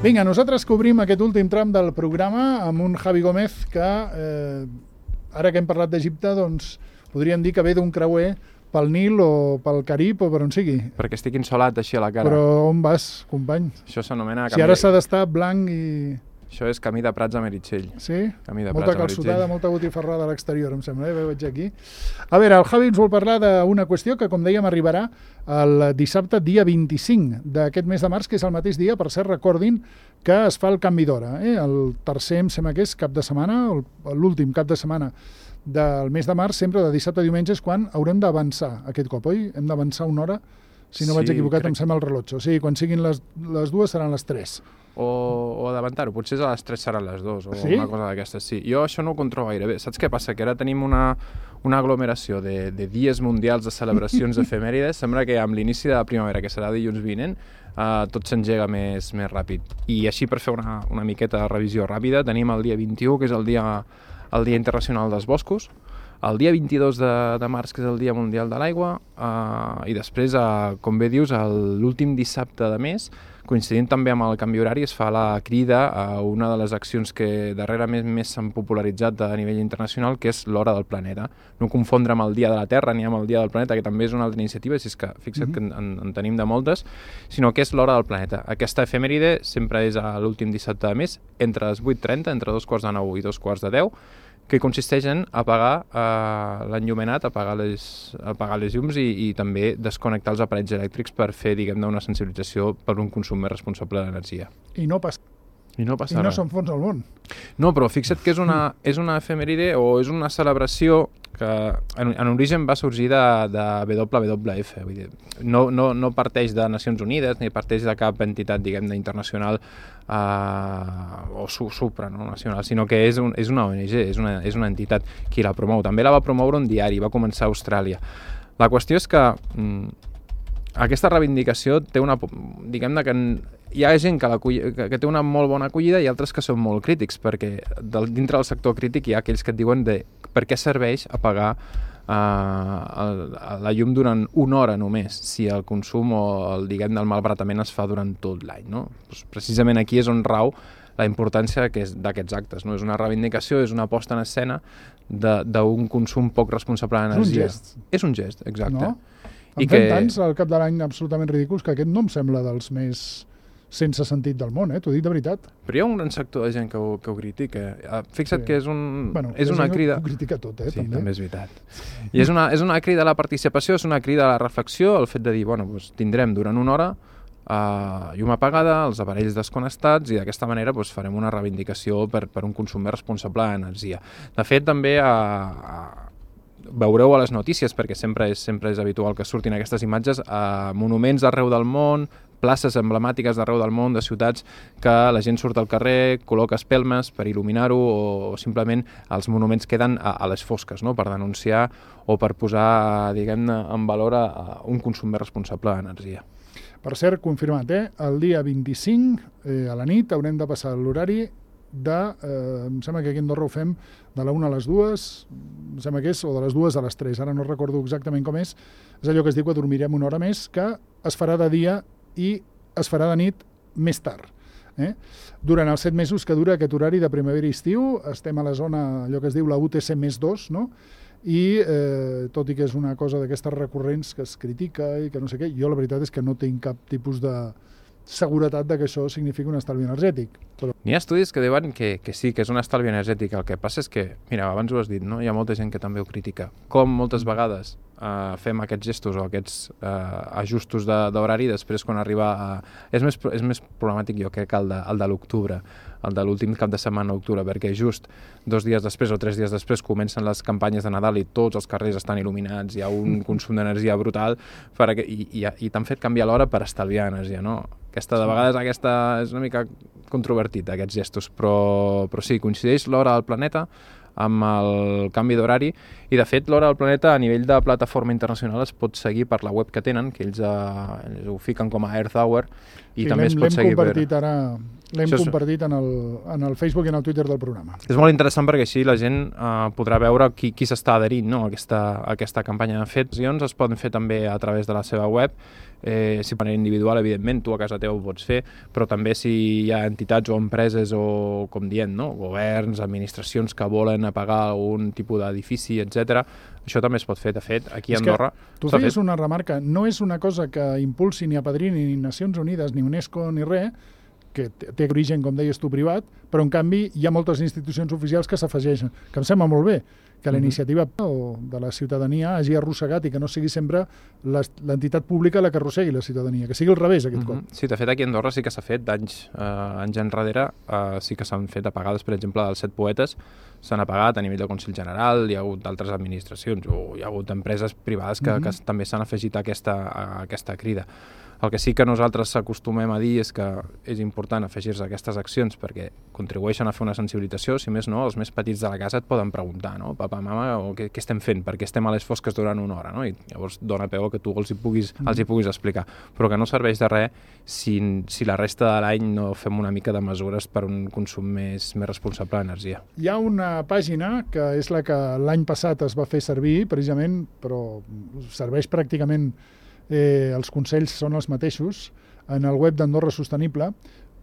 Vinga, nosaltres cobrim aquest últim tram del programa amb un Javi Gómez que, ara que hem parlat d'Egipte, doncs podríem dir que ve d'un creuer pel Nil o pel Carib o per on sigui. Perquè estic insolat així a la cara. Però on vas, company? Això s'anomena... Si ara s'ha d'estar blanc i... Això és camí de Prats a Meritxell. Sí? Camí de Molta Prats a calçotada, Meritxell. molta botifarrada a l'exterior, em sembla, veig aquí. A veure, el Javi ens vol parlar d'una qüestió que, com dèiem, arribarà el dissabte, dia 25 d'aquest mes de març, que és el mateix dia, per cert, recordin que es fa el canvi d'hora. El tercer, em sembla que és cap de setmana, l'últim cap de setmana del mes de març, sempre de dissabte a diumenge, és quan haurem d'avançar aquest cop, oi? Hem d'avançar una hora, si no vaig equivocat, em sembla el rellotge. O sigui, quan siguin les dues seran les 3. O adelantar-ho, potser a les 3 seran les 2 o sí? Una cosa d'aquestes, sí. Jo això no ho controlo gaire bé. Saps què passa? Que ara tenim una aglomeració de dies mundials de celebracions efemèrides. Sembla que amb l'inici de la primavera, que serà dilluns vinent, tot s'engega més ràpid. I així, per fer una miqueta de revisió ràpida, tenim el dia 21, que és el Dia Internacional dels Boscos, el dia 22 de març, que és el Dia Mundial de l'Aigua, i després, com bé dius, l'últim dissabte de mes, coincidint també amb el canvi horari, es fa la crida a una de les accions que darrerament més s'han popularitzat a nivell internacional, que és l'Hora del Planeta. No confondre amb el Dia de la Terra ni amb el Dia del Planeta, que també és una altra iniciativa, si és que fixa't que en tenim de moltes, sinó que és l'Hora del Planeta. Aquesta efemèride sempre és a l'últim dissabte de mes, entre les 8:30, entre 2:45 i 2:10, que consisteix en apagar l'enllumenat, apagar les llums i també desconnectar els aparells elèctrics per fer, diguem-ne, una sensibilització per un consum més responsable d'energia. I no passa. I no I no s'enfonsa el món. No, però fixa't que és una efemèride o és una celebració que en origen va sorgir de WWF. Vull dir, no parteix de Nacions Unides ni parteix de cap entitat, diguem-ne, internacional o supranacional, sinó que és una ONG, és una entitat qui la promou. També la va promoure un diari, va començar a Austràlia. La qüestió és que aquesta reivindicació té diguem-ne que hi ha gent que té una molt bona acollida i altres que són molt crítics, perquè dintre del sector crític hi ha aquells que et diuen per què serveix apagar la llum durant una hora només, si el consum o el malbaratament es fa durant tot l'any, no? Doncs precisament aquí és on rau la importància d'aquests actes, no? És una reivindicació, és una posta en escena d'un consum poc responsable d'energia. És un gest. És un gest, exacte. No? En fem tants al cap de l'any absolutament ridículs que aquest no em sembla dels més sense sentit del món, t'ho dic de veritat. Però hi ha un gran sector de gent que ho critica. Fixa't que és una crida... Ho critica tot, sí, també. També és veritat. I és una crida a la participació, és una crida a la reflexió, el fet de dir, tindrem durant una hora llum apagada, els aparells desconnectats i d'aquesta manera farem una reivindicació per un consum més responsable d'energia. De fet, també veureu a les notícies, perquè sempre és habitual que surtin aquestes imatges, monuments arreu del món, places emblemàtiques d'arreu del món, de ciutats, que la gent surt al carrer, col·loca espelmes per il·luminar-ho o simplement els monuments queden a les fosques, no? Per denunciar o per posar, diguem-ne, en valor un consum més responsable d'energia. Per cert, confirmat, el dia 25 a la nit haurem de passar l'horari em sembla que aquí a Andorra ho fem de la 1 a les 2, em sembla que és, o de les 2 a les 3, ara no recordo exactament com és allò que es diu que dormirem una hora més, que es farà de dia i es farà de nit més tard. Durant els 7 mesos que dura aquest horari de primavera i estiu, estem a la zona, allò que es diu la UTC més 2, no? I tot i que és una cosa d'aquestes recurrents que es critica i que no sé què, jo la veritat és que no tinc cap tipus de seguretat de que això significa un estalvi energètic. N'hi ha estudis que diuen que sí, que és un estalvi energètic. El que passa és que, mira, abans ho has dit, no? Hi ha molta gent que també ho critica. Com moltes vegades fem aquests gestos o aquests ajustos d'horari, després quan arriba és més problemàtic, jo crec, el de l'octubre, el de l'últim cap de setmana d'octubre, perquè just 2 dies després o 3 dies després comencen les campanyes de Nadal i tots els carrers estan il·luminats, hi ha un consum d'energia brutal i t'han fet canviar l'hora per estalviar energia, no? De vegades és una mica controvertit, aquests gestos, però sí, coincideix l'hora del planeta amb el canvi d'horari i, de fet, l'hora del planeta a nivell de plataforma internacional es pot seguir per la web que tenen, que ells ho fiquen com a Earth Hour i també es pot seguir l'hem compartit ara l'hem compartit en el Facebook i en el Twitter del programa. És molt interessant perquè així la gent podrà veure qui s'està adherint, no? a aquesta campanya. De fet, es poden fer també a través de la seva web, si de manera individual, evidentment, tu a casa teva ho pots fer, però també si hi ha entitats o empreses o, com dient, no? Governs, administracions que volen apagar algun tipus d'edifici, etc. Això també es pot fer. De fet, aquí a Andorra... Tu feies una remarca, no és una cosa que impulsi ni apadrini ni Nacions Unides, ni UNESCO, ni res, que té origen, com deies tu, privat, però en canvi hi ha moltes institucions oficials que s'afegeixen, que em sembla molt bé, que la iniciativa de la ciutadania hagi arrossegat i que no sigui sempre l'entitat pública la que arrossegui la ciutadania, que sigui al revés aquest cop. Sí, de fet aquí a Andorra sí que s'ha fet anys enrere, sí que s'han fet apagades, per exemple, dels 7 poetes, s'han apagat a nivell del Consell General, hi ha hagut d'altres administracions o hi ha hagut empreses privades que també s'han afegit a aquesta crida. El que sí que nosaltres acostumem a dir és que és important afegir-se a aquestes accions perquè contribueixen a fer una sensibilització, si més no, els més petits de la casa et poden preguntar, no? Papa, mama, què estem fent? Per què estem a les fosques durant una hora? No? I llavors dona peu que tu els hi puguis explicar. Però que no serveix de res si la resta de l'any no fem una mica de mesures per un consum més responsable d'energia. Hi ha una pàgina que és la que l'any passat es va fer servir, precisament, però serveix pràcticament els consells són els mateixos en el web d'Andorra Sostenible,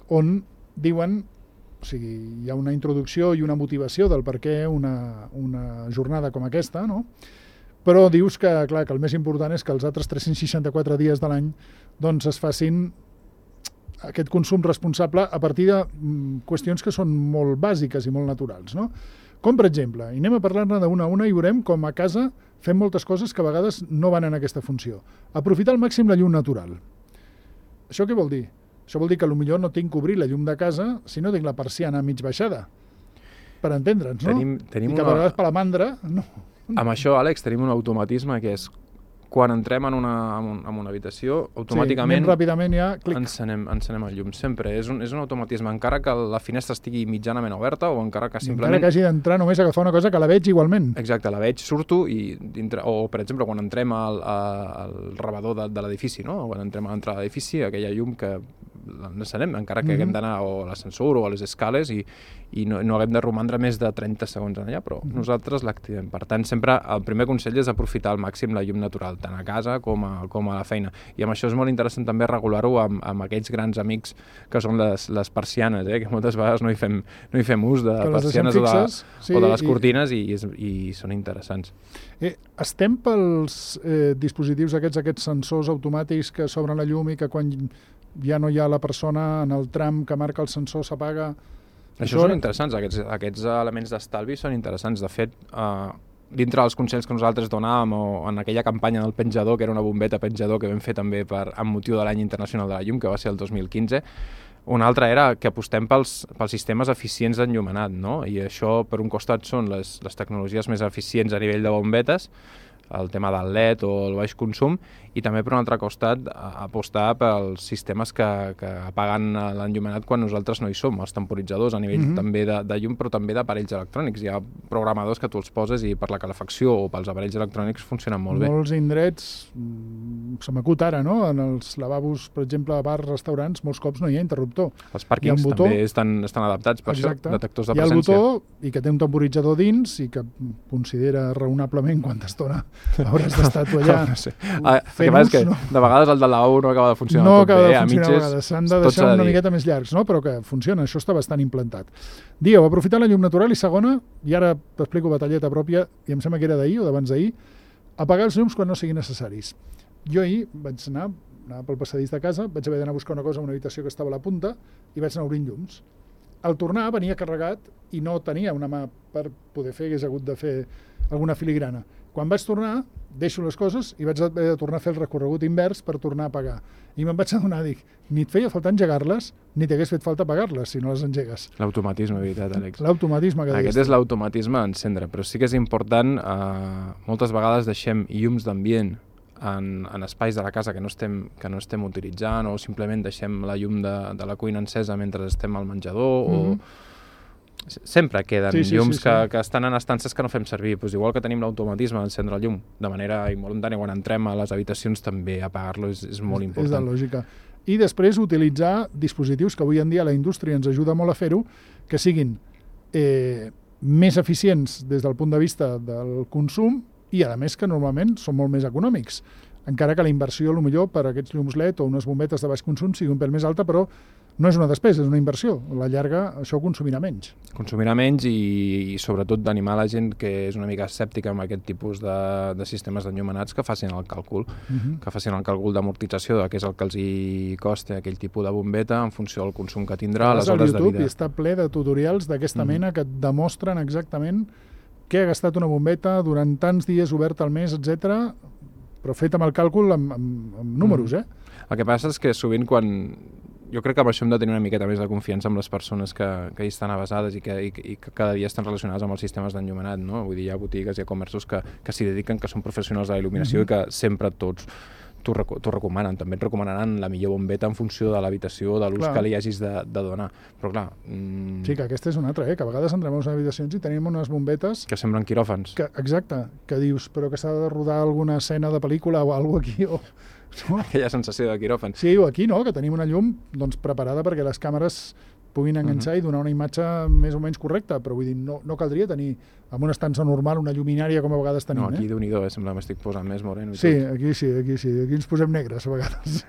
on diuen, o sigui, hi ha una introducció i una motivació del per què una jornada com aquesta, no? Però dius que, clar, que el més important és que els altres 364 dies de l'any doncs es facin aquest consum responsable a partir de qüestions que són molt bàsiques i molt naturals, no? Com, per exemple, i anem a parlar-ne d'una a una i veurem com a casa fem moltes coses que a vegades no van en aquesta funció. Aprofitar al màxim la llum natural. Això què vol dir? Això vol dir que potser no tinc que obrir la llum de casa si no tinc la persiana mig baixada. Per entendre'ns, no? I que a vegades per la mandra... No. Amb això, Àlex, tenim un automatisme que és quan entrem en una habitació, automàticament ràpidament ja, encenem el llum. Sempre. És un automatisme, encara que la finestra estigui mitjanament oberta o encara que simplement... Encara que hagi d'entrar només a agafar una cosa que la veig igualment. Exacte, la veig, surto i o, per exemple, quan entrem al rebedor de l'edifici, no? Quan entrem a l'entrada de l'edifici, aquella llum que l'encenem, encara que haguem d'anar a l'ascensor o a les escales i no haguem de romandre més de 30 segons allà, però nosaltres l'activem. Per tant, sempre el primer consell és aprofitar al màxim la llum natural, tant a casa com a la feina. I amb això és molt interessant també regular-ho amb aquells grans amics que són les persianes, que moltes vegades no hi fem ús de persianes o de les cortines i són interessants. Estem pels dispositius aquests sensors automàtics que s'obren la llum i que quan ja no hi ha la persona en el tram que marca el sensor s'apaga... Això són interessants, aquests elements d'estalvi són interessants. De fet, dintre dels consells que nosaltres donàvem o en aquella campanya del penjador, que era una bombeta penjador que vam fer també amb motiu de l'any internacional de la llum, que va ser el 2015, un altre era que apostem pels sistemes eficients d'enllumenat, no? I això, per un costat, són les tecnologies més eficients a nivell de bombetes, el tema del LED o el baix consum, i també per un altre costat apostar pels sistemes que apaguen l'enllumenat quan nosaltres no hi som, els temporitzadors a nivell també de llum, però també d'aparells electrònics. Hi ha programadors que tu els poses i per la calefacció o pels aparells electrònics funcionen molt bé. Molts indrets, se m'acut ara, no? En els lavabos, per exemple, a bars, restaurants, molts cops no hi ha interruptor. Els pàrquings també estan adaptats per això, detectors de presència. Hi ha el botó i que té un temporitzador dins i que considera raonablement quanta estona hauràs d'estar tu allà. No sé. El que passa és que de vegades el del lavabo no acaba de funcionar tot bé. No acaba de funcionar a vegades, s'han de deixar una miqueta més llargs, no? Però que funciona, això està bastant implantat. Dieu, aprofitar la llum natural i segona, i ara t'explico batalleta pròpia, i em sembla que era d'ahir o d'abans d'ahir, apagar els llums quan no siguin necessaris. Jo ahir vaig anar pel passadís de casa, vaig haver d'anar a buscar una cosa a una habitació que estava a la punta i vaig anar obrint llums. Al tornar venia carregat i no tenia una mà per poder fer, hagués hagut de fer alguna filigrana. Quan vaig tornar, deixo les coses i vaig haver de tornar a fer el recorregut invers per tornar a apagar. I me'n vaig adonar, dic, ni et feia falta engegar-les, ni t'hagués fet falta apagar-les si no les engegues. L'automatisme, veritat, Àlex. L'automatisme que deies. Aquest és l'automatisme a encendre, però sí que és important, moltes vegades deixem llums d'ambient en espais de la casa que no estem utilitzant o simplement deixem la llum de la cuina encesa mentre estem al menjador o... Sempre queden llums que estan en estances que no fem servir. Pues igual que tenim l'automatisme d'encendre el llum de manera involuntària quan entrem a les habitacions, també apagar-lo és molt important. És de lògica. i després utilitzar dispositius que avui en dia la indústria ens ajuda molt a fer-ho, que siguin més eficients des del punt de vista del consum i, a més, que normalment són molt més econòmics. Encara que la inversió, potser per a aquests llums LED o unes bombetes de baix consum sigui un pèl més alta, però no és una despesa, és una inversió. A la llarga això consumirà menys. Consumirà menys i sobretot d'animar la gent que és una mica escèptica amb aquest tipus de sistemes d'enllumenats que facin el càlcul, que facin el càlcul d'amortització de què és el que els hi costa aquell tipus de bombeta en funció del consum que tindrà, les hores de vida. I està ple de tutorials d'aquesta mena que et demostren exactament què ha gastat una bombeta durant tants dies obert al mes, etc, però fet amb el càlcul amb números, El que passa és que sovint quan... Jo crec que amb això hem de tenir una miqueta més de confiança amb les persones que hi estan avasades i que cada dia estan relacionades amb els sistemes d'enllumenat, no? Vull dir, hi ha botigues, hi ha comerços que s'hi dediquen, que són professionals de la il·luminació i que sempre tots t'ho recomanen. També et recomanaran la millor bombeta en funció de l'habitació, de l'ús que li hagis de donar. Però clar... Sí, que aquesta és una altra, que a vegades entrem a les habitacions i tenim unes bombetes... Que semblen quiròfans. Exacte, que dius, però que s'ha de rodar alguna escena de pel·lícula o alguna cosa aquí, o... No? Aquella sensació de quiròfan. Sí, o aquí no, que tenim una llum preparada perquè les càmeres puguin enganxar i donar una imatge més o menys correcta, però vull dir, no caldria tenir amb una estança normal una lluminària com a vegades tenim. No, aquí Déu-n'hi-do, sembla que m'estic posant més moreno. Sí, aquí ens posem negres a vegades.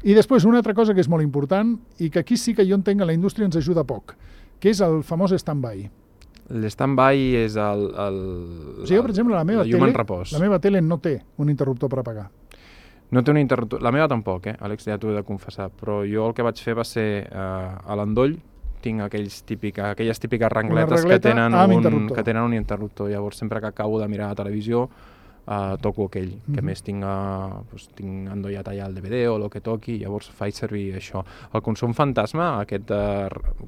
I després una altra cosa que és molt important i que aquí sí que jo entenc que la indústria ens ajuda poc, que és el famós stand-by. L'stand-by és o sigui, per exemple, la meva tele no té un interruptor per apagar. No té un interruptor. La meva tampoc, Àlex, ja t'ho he de confessar. Però jo el que vaig fer va ser a l'endoll, tinc aquelles típiques rengletes que tenen un interruptor. Llavors, sempre que acabo de mirar la televisió, toco aquell, que més tinc endollat allà el DVD o el que toqui, llavors faig servir això. El consum fantasma, aquest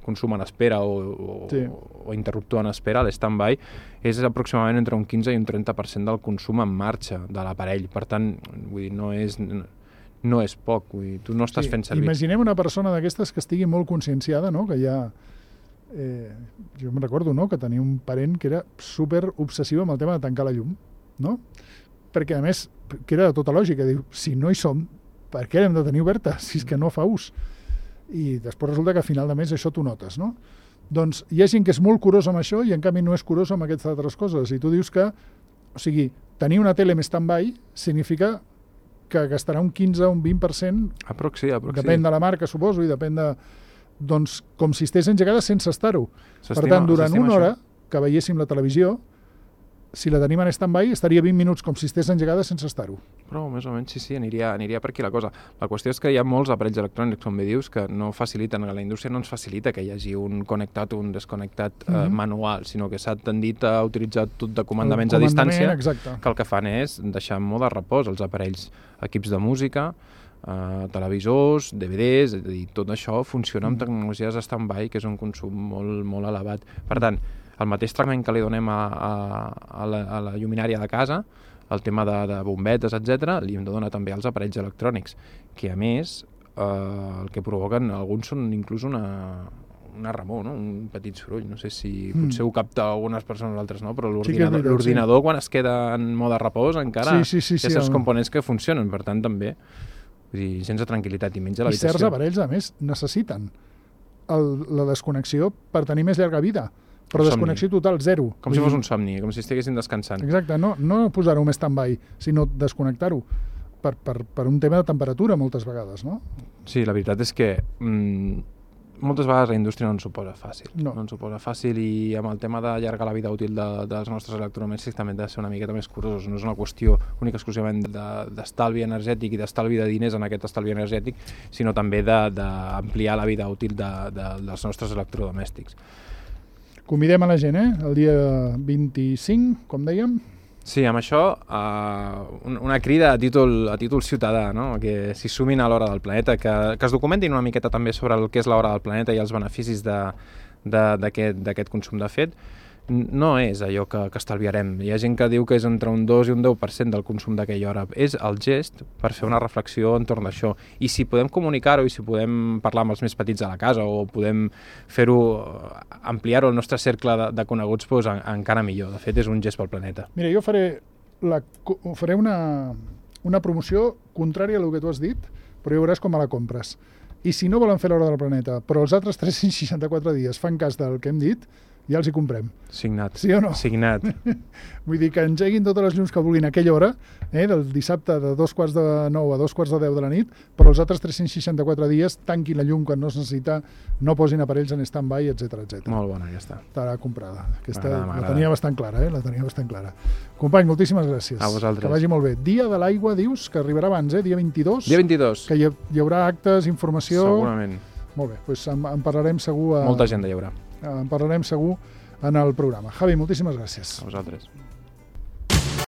consum en espera o interruptor en espera, l'stand-by, és aproximadament entre un 15 i un 30% del consum en marxa de l'aparell. Per tant, vull dir, no és poc, vull dir, tu no estàs fent servir. Imaginem una persona d'aquestes que estigui molt conscienciada, no? Que ja... jo me'n recordo, no?, que tenia un parent que era super obsessiu amb el tema de tancar la llum, no? Perquè, a més, que era de tota lògica, diu, si no hi som, per què hem de tenir oberta, si és que no fa ús? I després resulta que a final de mes això t'ho notes, no? Doncs hi ha gent que és molt curós amb això i en canvi no és curós amb aquestes altres coses. I tu dius que, o sigui, tenir una tele més stand-by significa que gastarà un 15 o un 20%, depèn de la marca, suposo, i depèn de... Doncs com si estigués engegada sense estar-ho. Per tant, durant una hora que veiéssim la televisió, si la tenim en stand-by, estaria 20 minuts com si estigués engegada sense estar-ho. Però més o menys sí, aniria per aquí la cosa. La qüestió és que hi ha molts aparells electrònics, com bé dius, que no faciliten, la indústria no ens facilita que hi hagi un connectat o un desconnectat manual, sinó que s'ha tendit a utilitzar tot de comandaments a distància, que el que fan és deixar en mode repòs els aparells, equips de música, televisors, DVDs, és a dir, tot això funciona amb tecnologies stand-by, que és un consum molt, molt elevat. Per tant, el mateix tractament que li donem a la lluminària de casa, el tema de bombetes, etc., li hem de donar també als aparells electrònics, que a més el que provoquen alguns són inclús una remor, no? Un petit soroll. No sé si potser ho capta algunes persones, altres no, però l'ordinador quan es queda en mode repòs encara té certs components que funcionen, per tant també vull dir, sense tranquil·litat i menys a l'habitació. I certs aparells, a més, necessiten la desconnexió per tenir més llarga vida. Però desconnexió total, zero. Com si fos un somni, com si estiguessin descansant. Exacte, no posar-ho més stand-by, sinó desconnectar-ho per un tema de temperatura moltes vegades, no? Sí, la veritat és que moltes vegades la indústria no ens ho posa fàcil. No ens ho posa fàcil i amb el tema d'allargar la vida útil dels nostres electrodomèstics també hem de ser una miqueta més curosos. No és una qüestió única exclusivament d'estalvi energètic i d'estalvi de diners en aquest estalvi energètic, sinó també d'ampliar la vida útil dels nostres electrodomèstics. Convidem a la gent, el dia 25, com dèiem. Sí, amb això, una crida a títol ciutadà, no? Que s'hi sumin a l'Hora del Planeta, que es documentin una miqueta també sobre el que és l'Hora del Planeta i els beneficis d'aquest consum. De fet, no és allò que estalviarem. Hi ha gent que diu que és entre un 2 i un 10% del consum d'aquella hora. És el gest per fer una reflexió entorn d'això. I si podem comunicar-ho i si podem parlar amb els més petits a la casa o podem fer-ho, ampliar-ho al nostre cercle de coneguts, doncs encara millor. De fet, és un gest pel planeta. Mira, jo faré una promoció contrària a el que tu has dit, però ja veuràs com me la compres. I si no volen fer l'hora del planeta, però els altres 364 dies fan cas del que hem dit, ja els hi comprem. Signat. Sí o no? Signat. Vull dir que engeguin totes les llums que vulguin a aquella hora, del dissabte de 9:15 a 9:10 de la nit, però els altres 364 dies tanquin la llum quan no es necessita, no posin aparells en stand-by, etc. Molt bona, ja està. Estarà comprada. Aquesta M'agrada. la tenia bastant clara, la tenia bastant clara. Company, moltíssimes gràcies. A vosaltres. Que vagi molt bé. Dia de l'aigua, dius, que arribarà abans, dia 22? Dia 22. Que hi haurà actes, informació... Segurament. Molt bé, doncs en parlarem segur... Molta gent hi haurà. En parlarem segur en el programa. Javi, moltíssimes gràcies. A vosaltres.